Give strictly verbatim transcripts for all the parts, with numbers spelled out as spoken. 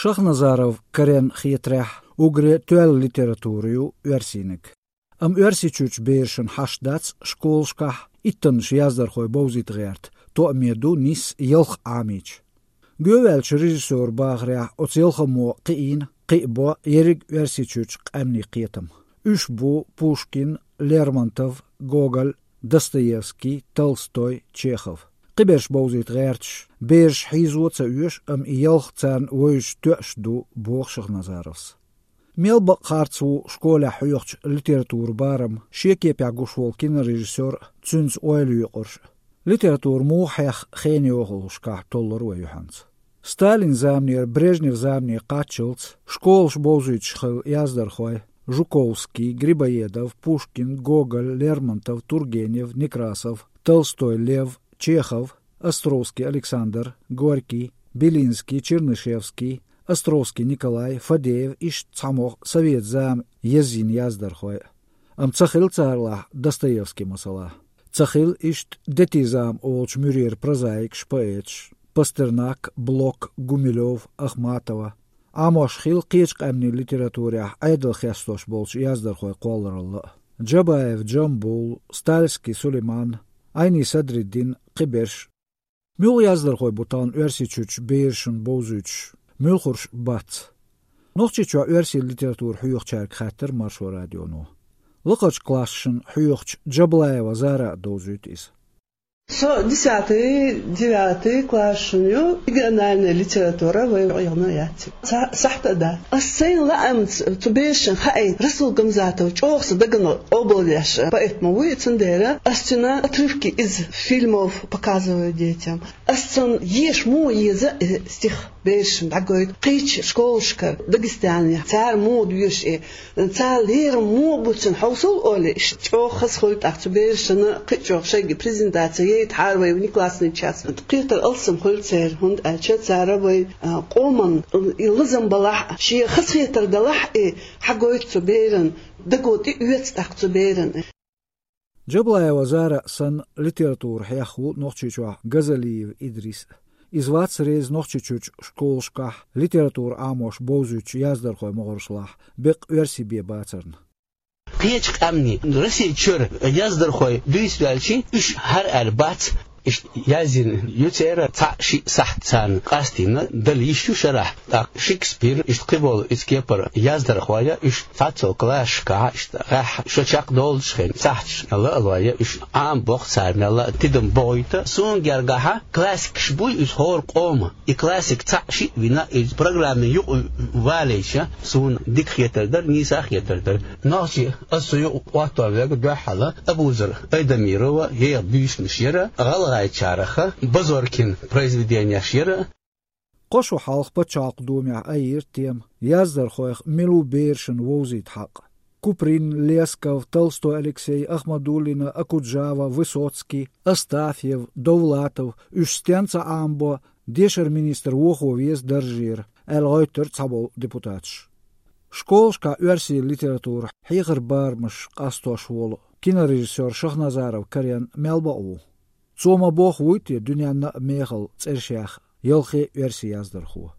Шахназаров Карена хетарехь, уггаре тоьлла литература ю оьрсийниг. Амма Оьрсийчуьрчу берашна хьашт дац школашкахь иттаннаш яздархой бовзийта гӀерта, тоъаме ду нисса ялх Ӏамийча. Гоьваьллачу режиссёран бахарехь, оцу ялхаммо кхиийна, кхиабо ерриг Оьрсийчуьрчу къаьмнийн кхетам. Уьш бу Пушкин, Лермонтов, Гоголь, Достоевский, Толстой, Чехов. Кхиберш бовзийта гӀерташ, бераш хьийзо а ца оьшу, амма и ялх царна вевзаш тоьаш ду, боху Шахназаровс. Мел бакъ харц ву школехь хьоьхучу литературан барам, шен кепехь гуш волу кинорежиссёр а, цуьнца ойла йоькъурш а. Литература муха хьехна хенан йохалушкахь толлура вай юьхьанца. Сталинан заманера Брежневн замане кхаччалц школаш бовзуьйтуш хилла яздархой: Жуковский, Грибоедов, Пушкин, Гоголь, Лермонтов, Тургенев, Некрасов, Толстой Лев, Чехов, Островский Александр, Горький, Белинский, Чернышевский, Островский Николай, Фадеев, иштта цхьамогӀа совет зама езйина яздархой. Амма ца хилла царалахь Достоевский, масала. Ца хилла иштта детизам олучу муьрера прозаикаш, поэташ: Пастернак, Блок, Гумилёв, Ахматова. Ӏамош хилла кхечу къаьмнийн литературехь Ӏедал хестош болчу яздархойн кхолларалла а: Джабаев Джамбул, Стальский Сулейман, Ӏайни Садриддин, кхиберш. Муьлха яздархой бу тахана Оьрсийчуьрчу берашна бовзуьйтуш, муьлхарш бац? Нохчийчохь оьрсийн литература хьоьхучаьрга хаьттира Маршо радионо. Лакхарчу классашна хьоьхучу Джаблаева Зара а довзуьйту иза. Со десятый, девятый классашна ю, региональная литература вай гӀайгӀано яц. Ца сахьта а дац. Ас сайна лаамца цу берашна хаийта, Расул Гамзатов чӀогӀа сан дагана къобалвеш поэт ма вуй, цундела ас цуьнан отрывки из фильмов показываю детям. Ас цунна еша муха еза, э, стих берашна дӀагойту. Кхечу школашкара Дагестанехь цара муха доьшу, э, цара лерам муха бу цуьнан хьовсал олий, иштта чӀогӀа хаза хуьлу тӀаккха цу берашна кхин а чӀогӀа шайга презентация яйта хьара вай внеклассный час. Кхетар алсам хуьлу церан, хӀунда аьлча цара вай, а, къоман и лазам балахь а, шен хазахетар далахь а, и хьагойту цу беран, даго тӀе оьцу тӀаккха цу беран. Джаблаева Зара санна литература хьехна ву Нохчийчохь Газалиев Идрис а. Иза вац реза Нохчийчуьрчу школашкахь литература Ӏамош бовзуьйтучу яздархойн могӀаршлахь беккъа оьрсий бен бацарна. Кхечу къаьмнийн, Росси чуьра яздархой дуьйцу ваьлча, уьш хӀара аьлла бац, иштта язйина ю церан цхьаъ-шиъ сахьт царна къастийна дала йиш ю шарахь. ТӀаккха Шекспир, иштта кхиболу иза кепара яздархой а, уьш цхьацца классашкахь, иштта гӀеххьа шо чекхдолучу хенахь сахьташ лаалой а, уьш Ӏамабоккху цара мелла а, тидам бохуьйту. Суна гергахь, классикаш буй иза хӀора къоман. И классик цхьаъ-шиъ вина, иза программин юкъа валийча, суна дика хетар дара, нийса а хетар дара. Нохчий, ас цу юкъа Ӏоттор верг дуьххьал Абузар Айдамирова еха буьйсанаш яра, гӀалгӀайчарах Базоркин произведенеш яра. Кхо шо хьалха Пачхьалкхан Думехь айира тема, яздархойх мила ву берашна вовзийта хьакъ. Куприн, Лесков, Толстой Алексей, Ахмадуллина, Окуджава, Высоцкий, Астафьев, Довлатов, уьш стенна ца Ӏамабо, дешаран министр вохо веза даржера, аьлла гӀоьттира цхьаболу депутаташ. Школашкахь оьрсийн литература хьехаран барамаш къастош волу кинорежиссёр Шахназаров Карен мел бакъ ву? Цо ма-бохху вуй те дуьненна а мехала цӀерш яьхна ялхе а оьрсийн яздархо?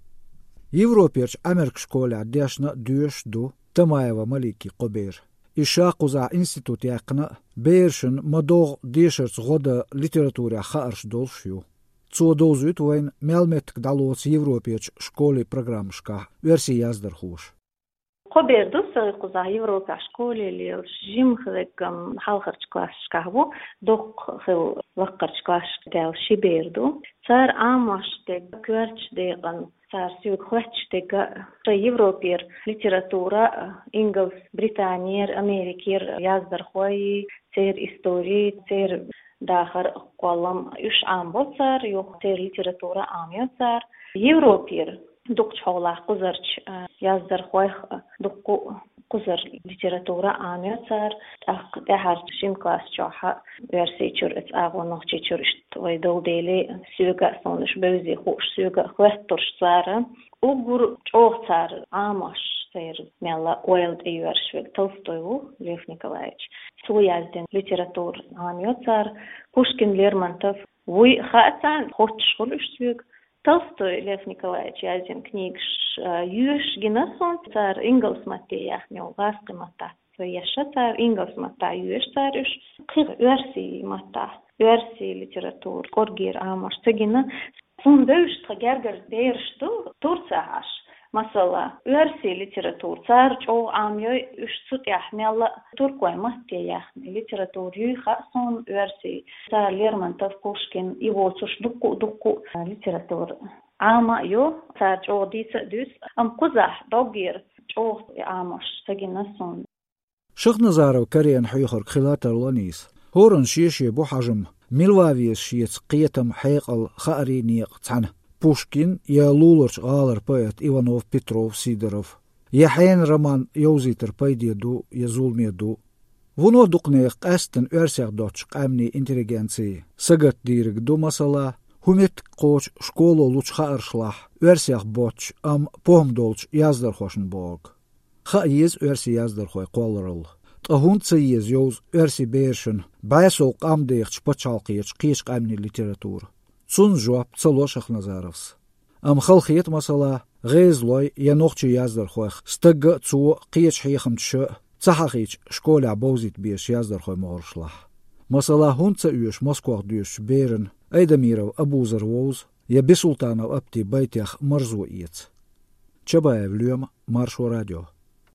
Европерчу Ӏамеркан школехь дешна а, доьшуш а ду Тамаева Маликин кхо бер. Иза ша кхузахь институт яьккхина а, берашна ма-доггӀа дешарца гӀо дан литературехь хаарш долуш ю. Цо довзуьйту вайна мел меттиг дӀалоцу Европерчу школе программашкахь оьрсийн яздархоша. Кхо бер ду сан кхузахь Европехь школе лелаш, жимма хиларгам хьалхарчу классашкахь ву, доккха хилла лакхарчу классашка даьлла ши бер ду. Цара Ӏамош дерг, коьртачу декъана цара соьга хоьттуш дерг а, шайн Европера литература а, ингалс, Британера, Америкера яздархой, церан истори, церан дахар, кхоллам, уьш Ӏамабо цара, юха церан литература Ӏамайо цара. Европера дукхачу хьолахь кхузарчу, а, яздархойх а дуккха а кхузара литература Ӏамайо цара, тӀаккха тӀаьхьарчу шина класс чохь а Оьрсийчуьра, оцу агӀор Нохчийчуьра иштта вай долу дела, соьга а, суна уьш бевзий хууш, соьга а хоьттурш цара. Уггар чӀогӀа цара Ӏамош, церан мелла а ойла тӀеоьрзуш верг Толстой ву, Лев Николаевич. Цо яздина литература Ӏамайо цара, Пушкин, Лермонтов вуй хаьа царна, хоьттуш хуьлу уьш соьга. Толстой Лев Николаевич язйина книгаш, а, йоьшуш гина суна, цар ингалс матте яхна йолу гӀазкхи матта. Со ешша цар ингалс матта йоьшуш цар уьш, кхин оьрсийн матта, оьрсийн литература, кӀоргера Ӏамош ца гина. Суна бевзаш тхан гергара бераш ду Турцехь Ӏаш. Масала, оьрсийн литература цара чӀогӀа Ӏамайой, уьш цу тӀехь мелла а туркойн матте яьхна литература юй хаьа суна оьрсийн. Цара Лермонтов, Пушкин, и воцуш дуккха а, дуккха а литература Ӏама а йо, цара чӀогӀа дийца а дуьйцу, амма кхузахь доггера чӀогӀа Ӏамош ца гина суна. Шахназаров Карена хьоьхург хила тарло нийса. ХӀоранна шен-шен бу хьажам, мила ван веза шеца кхетам, хьекъал, хаарий, некъ цхьаьна: Пушкин я луларчу гӀалара поэт Иванов, Петров, Сидоров, я хьенан роман йовзийтар пайде ду я зуламе ду. Вуно дукха нехан, къаьсттина оьрсех доцчу къаьмнийн интеллигенцин, сагатдийриг ду, масала, хӀун меттиг кхочу школо лучу хааршлахь оьрсех боцчу, амма похӀма долчу яздархошна бохург. Хаа еза оьрсийн яздархой кхолларалла. Ткъа хӀунда ца еза йовза оьрсийн берашна бӀе сов къам дехачу пачхьалкхерчу кхечу къаьмнийн литература? Цунна жоп ца ло Шахназаровс. Амма хала хета, масала, гӀезалойн я нохчийн яздархойх стагга а, цо кхечу хьехамчаша а ца хьахийча школехь бовзийта безачу яздархойн могӀаршлахь. Масала, хӀунда ца оьшу Москох доьшучу берана Айдамиров Абузар вовза я Бисултанов Апти байтех марзо эца? Чабаев Лоьма, Маршо радио.